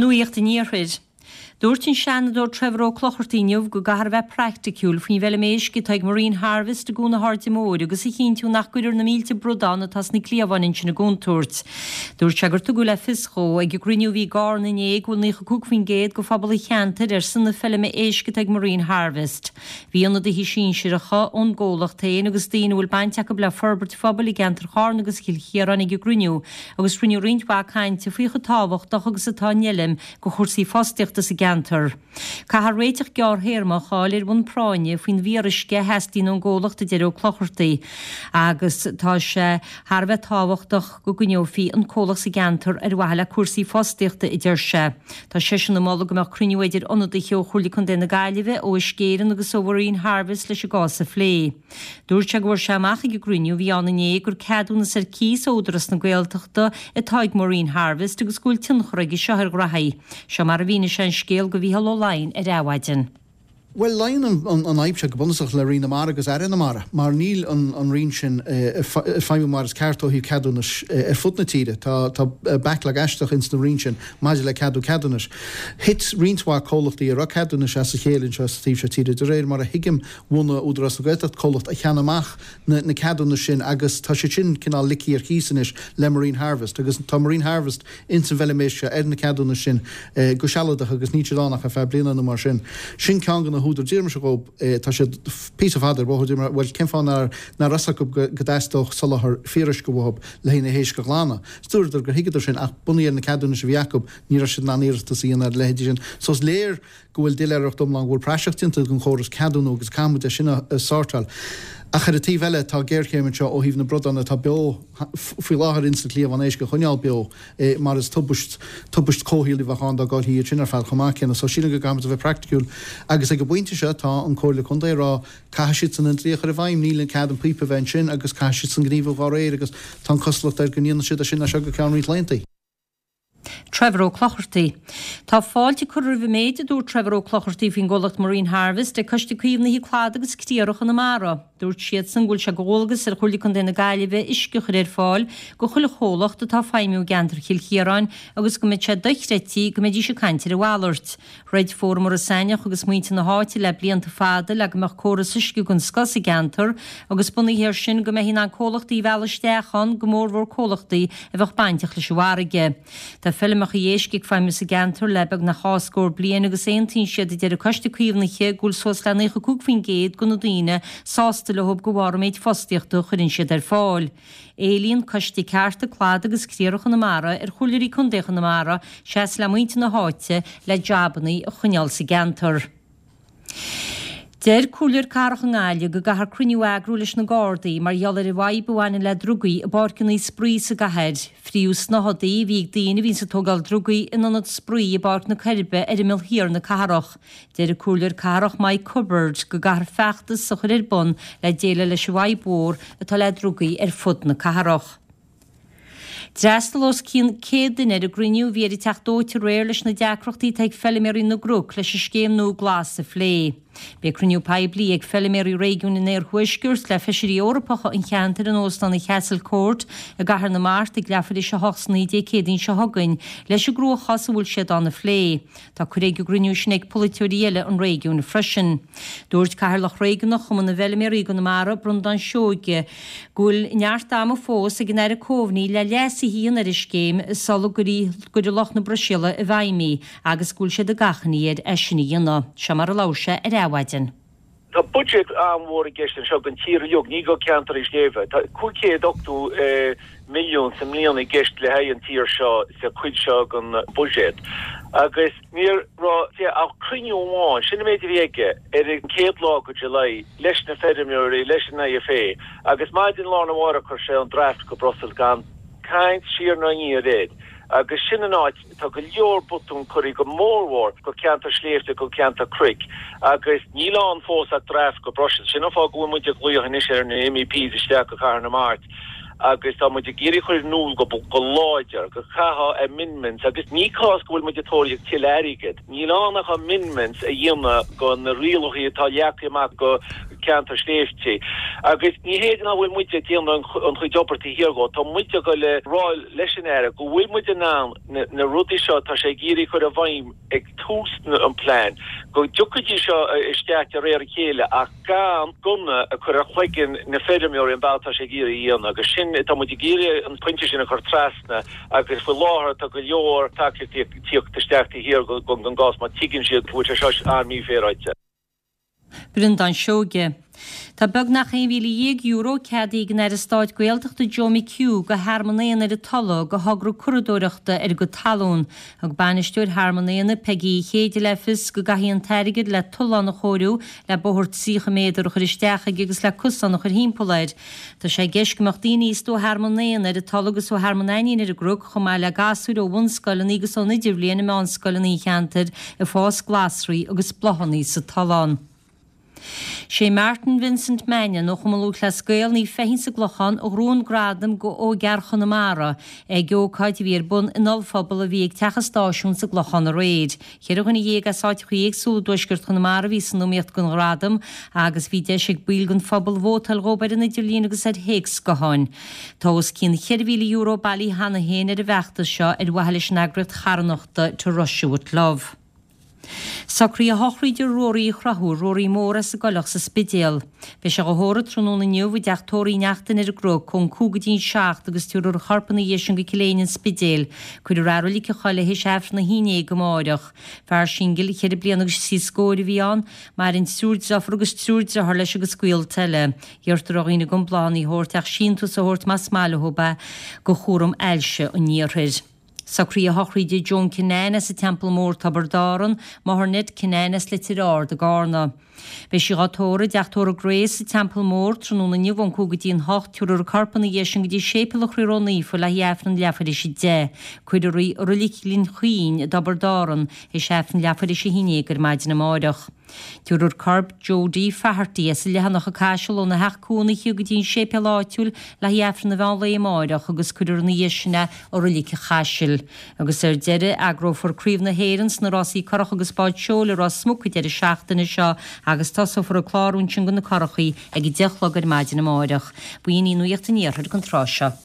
Nuacht an Iarthair. Dúirt an Seanadóir Trevor Ó Clochartaigh inniu go gcaithfear a bheith praiticiúil faoin bhfeilm éisc atá ag Marine Harvest i gCuan na hAirde Móire agus a chinntiú nach gcuirfear na mílte bradán atá sna cliabháin ansin i gcontúirt. Dúirt sé gur tugadh le fios dhó ag an gcruinniú a bhí i gCarna inné go bhfuil 95% de phobal an cheantair ar son na feilme éisc atá ag Marine Harvest. Bhí ionadaithe sinsearacha ón gcomhlacht féin agus daoine a bhfuil baint acu le forbairt phobail i gceantar Charna agus Chill Chiaráin ag an gcruinniú agus rinneadh roinnt mhaith cainte faoi chomh tábhachtach agus atá an fheilm do chúrsaí fostaíochta sa gceantar. Caithfear réiteach gearrthéarmach a fháil ar bhonn práinne faoin bhfíoruisce a theastaíonn ón gcomhlacht, a deir Ó Clochartaigh, agus tá sé thar a bheith tábhachtach go gcoinneofaí an comhlacht sa gceantar ar mhaithe le cúrsaí fostaíochta, a deir sé. Tá seisean ag moladh go mbeadh cruinniú idir ionadaithe ó Chomhairle Contae na Gaillimhe, ó Uisce Éireann agus ó Mharine Harvest leis an gcás a phlé. Dúirt sé go bhfuair sé amach ag an gcruinniú a bhí ann inné gur ceadúnas ar cíos ó Údarás na Gaeltachta atá ag Marine Harvest agus go bhfuil tionchar aige seo ar ghraithí. Seo mar a mhínigh sé an scéal do Mhícheál Ó Laighin ar Adhmhaidin. Bhuel, luíonn an fhadhb seo go bunúsach le Roinn na Mara agus Aire na Mara, mar níl an Roinn sin ag feidhmiú mar is ceart ó thaobh ceadúnais ar fud na tíre. Tá backlog aisteach ins na Roinn sin maidir le ceadú ceadúnais. Thit roinnt mhaith comhlachtaí a raibh ceadúnais as a chéile anseo sa taobh seo tíre, de réir mar a thuigim. Bhunaigh Údarás na Gaeltachta comhlacht a cheannaigh amach na ceadúnais sin agus tá siad sin cineál ligthe ar chíos anois le Marine Harvest agus tá Marine Harvest ins an bhfeilm éisc seo ar na ceadúnais sin go sealadach agus níl siad ann ach ar feadh bliana nó mar sin. Sin ceann de na húdair. D'iarr mise dhób, tá siad píosa fada ar bóthar, d'iarr mé, bhuel cén fáth nár raibh fhios acu go dteastódh soláthar fíoruisce uathub le haghaidh na héisc a ghlanadh. Is dúradar gur thuigeadar sin ach bunaithe ar na ceadúnais a bhí acu ní raibh siad in ann iarratas a dhéanamh ar a leithéidí sin. So is léir go bhfuil doiléireacht iomlán, go bhfuil praiseach déanta den chóras ceadúnú agus caithfidh muid é sin a shórtáil. Ach ar an taobh eile, tá géarchéim anseo ó thaobh na bradán atá beo faoi láthair ins na cliabháin éisc a choinneáil beo mar is tubaist, tubaist comhshaoil a bheadh ann dá gcaillfí iad sin ar fad chomh maith céanna. So sílim go gcaithfidh muid a bheith praiticiúil agus ag an bpointe seo tá an Comhairle Contae ag rá caithfidh siadsan an dlí a chur i bhfeidhm, níl an cead an píopa a bheith ansin agus caithfidh siadsan gníomhú dhá réir agus tá an cosúlacht air go ndéanfaidh siad é sin as seo go ceann roinnt laethanta. Trevor Ó Clochartaigh. Tá fáilte curtha roimh an méid a dúirt Trevor Ó Clochartaigh faoin gcomhlacht Marine Harvest ag Coiste Caomhnaithe Cladaigh agus Criathrach Chonamara. Dúirt siadsan go bhfuil sé de dhualgas ar Chomhairle Contae na Gaillimhe uisce a chur ar fáil go chuile chomhlacht atá ag feidhmiú i gceantar Chill Chiaráin agus go mbeadh sé dochreidte go mbeidís ag caint ar a mhalairt. Throid Fóram Iorras Aithneach agus muintir na háite le blianta fada le go mbeadh córas uisce den scoth sa gceantar agus bunaithe air sin go mbeifí in ann comhlachtaí a mhealladh isteach ann, go mórmhór comhlachtaí a bheadh bainteach leis an bhfarraige. Tá feilmeacha éisc ag feidhmiú sa gceantar le beagnach dhá scór bliain agus aontaíonn siad, a deir an Coiste Caomhnaithe, go bhfuil suas le 95% de na daoine sásta leo de bharr an méid fostaíochta a chuireann siad ar fáil. Éilíonn Coiste Cearta Cladaigh agus Criathrach Chonamara ar Chomhairleoirí Contae Chonamara seasamh le muintir na háite le jabannaí a choinneáil sa gceantar. Deir Comhairleoir Cathrach i nGaillimh go gcaithfear cruinniú a eagrú leis na Gardaí mar gheall ar an bhfadhb a bhaineann le drugaí i bpáirceanna spraoi sa gcathair. Fríodh snáthaidí a bhí ag daoine a bhíonns ag tógáil drugaí in ionad spraoi i bPáirc na Coiribe ar imeall thiar na cathrach. Deir an Comhairleoir Cathrach Mike Cubbard go gcaithfear feachtas a chur ar bun le déileáil leis an bhfadhb mhór atá le drugaí ar fud na cathrach. D'fhreastail os cionn 100 duine ar an gcruinniú a bhí ar an Teach Dóite aréir leis na deacrachtaí atá ag feiliméaraí na gCnoc leis an scéim nua Glas a phlé. Beidh cruinniú poiblí ag feiliméaraí réigiúin an Iarthuaiscirt le Feisirí Eorpacha an cheantair in Óstán an Chastle Court i gCathair na Mart ag leathuair théis a hocht san oíche Dé Céadaoin seo chugainn leis an gcruachás a bhfuil siad ann a phlé. Tá cuireadh ag an gcruinniú sin ag polaiteoirí eile an réigiúin freisin. Dúirt Cathaoirleach Réigiúnach Chumann na bhFeilméaraí i gConamara, Breandán Seoige, go bhfuil neart ama fós ag an Aire Coveney le leasuithe a dhéanamh ar an scéim sula gcuirfidh lucht na Bruiséile i bhfeidhm í agus go bhfuil siad ag achainí air é sin a dhéanamh. Seo mar a labhair sé ar Adhmhaidin. Tá buiséad an-mhór i gceist anseo don tír uilig, ní go ceantar sléibhe. Tá 580 milliún sa mbliain i gceist le haghaidh an tír seo sa chuid seo den bhuiséad. Agus ní raibh sé ach cruinniú amháin, sin an méid a bhí aige, ar an chéad lá de July leis na feirmeoirí, leis an IFA, agus maidin lá arna mhárach chuir sé an draft go Brussels gan caint siar ná aniar air. Agus sin an áit. Tá go leor botún curtha go mórmhór go ceantar sléibhte, go ceantar cnoic agus níl ann fós ach draft go Brussels. Sin an fáth go bhfuil muid ag glaoch anois ar na MEPs isteach go Cathair na Mart agus tá muid ag iarraidh cur in iúl go láidir go gcaithfeá amendments agus ní cás go bhfuil muid ag tóraíocht tuilleadh airgid. Níl ann ach amendments a dhéanamh go na rialacha atá leagtha amach go. ceantar sléibhte. Agus ní hé nach bhfuil muid ag déanamh an chuid obair taobh thiar dhó, tá muid ag dul a rá leis an Aire go bhfuil muid in ann na rudaí seo atá sé ag iarraidh a chur i bhfeidhm ag tús an plean, go dtiocfaidís seo isteach de réir a chéile ach gan gunna a chur ar chloigeann na feirmeoirí an bealach atá sé ag iarraidh a dhéanamh. Agus sin, tá muid ag iarraidh an pointe sin a chur trasna agus faoi láthair tá go leor tacaíochtaí ag tíocht isteach taobh thiar den gcás mar tuigeann siad go bhfuil sé seo an-mhífhéaráilte. Breandán Seoige. Tá beagnach €11,000 ceadaithe ag an Aire Stáit Gaeltachta Joe McHugh do Thearmann Éanna ar an Tulaigh do thogra curadóireachta ar a gcuid talún. Thug bainisteoir Thearmann Éanna, Peigí Uí Chéide le fios go gcaithfí an t-airgead le tollán a chóiriú, le bóthar 30 méadar a chur isteach aige agus le cosán a chur thimpeall air. Tá sé i gceist go mbeadh daoine aosta ó Thearmann Éanna ar an Tulaigh agus ó Thearmann Ainnín ar an gCnoc, chomh maith le gasúir ó bhunscoileanna agus ón idirbhliain i meánscoileanna an cheantair ag fás glasraí agus bláthanna sa tollán. Sé Martin Vincent Mannion ó Chumann Lúthchleas Gael Naomh Feichín sa gClochán a ghnóthaigh an gradam go ógfhear Chonamara ag ócáid a bhí ar bun in ollphuball a bhí ag Teach an Stáisiúin sa gClochán aréir. 14 dhuine as áiteachaí éagsúla i dtuaisceart Chonamara a bhí san iomaíocht don ghradam agus bhí deis ag baill den phobal vótáil dhóibh ar an idirlíon agus ar théacs gutháin. Tá os cionn €4,000 bailithe cheana féin ar an bhfeachtas seo ar mhaithe leis an eagraíocht charthanachta To Russia With Love. Socruithe sochraide Ruairí Uí Chonchúir, Ruairí Mór as an gCoileach sa Spidéal. Beidh sé dhá thórramh tráthnóna inniu i dteach tórraimh Uí Neachtain ar an gCnoc ón 5 go dtí an 7 agus tabharfar a chorp ina dhiaidh sin go Cill Éinne an Spidéil. Cuirfear é i Reilig an Choilligh théis Aifreann a 11 amáireach. Fear singil cheithre bliana agus trí scóir a bhí ann. Maireann triúr deirfiúr agus triúr deartháir leis agus gaolta eile. Iarrtar ar dhaoine gan bláthanna a thabhairt ach síntiús a thabhairt más maith leo é do Chúram Ailse an Iarthair. Socruithe sochraide Joan Kinane as an Teampall Mór, Tiobraid Árann, máthair Ned Kinane as Leitir Ard i gCarna. Beidh sí dhá tórramh i dteach tórraimh Grace sa Teampall Mór tráthnóna inniu ón 5 go dtí an 8, tabharfar a corp ina dhiaidh sin go dtí Séipéal an Chroí Ró-Naofa le haghaidh Aifreann leathuair théis 10. Cuirfear í i Roilig Ghleann Chaoin i dTiobraid Árann théis Aifreann leathuair théis 11 ar maidin amáireach. Tabharfar corp Jody Faherty as an Leathanach ag Caiseal óna theach cónaithe go dtí an séipéal áitiúil le haghaidh Aifreann an mheán lae amáireach agus cuirfear ina dhiaidh sin é i Roilig an Chaisil. Agus ar deireadh, eagrófar Craobh na hÉireann sna rásaí curach agus báid seoil i Ros Muc an deireadh seachtaine seo agus tosófar ag clárú ansin do na curachaí ag 10 a chlog ar maidin amáireach. B'in í Nuacht an Iarthair don tráth seo.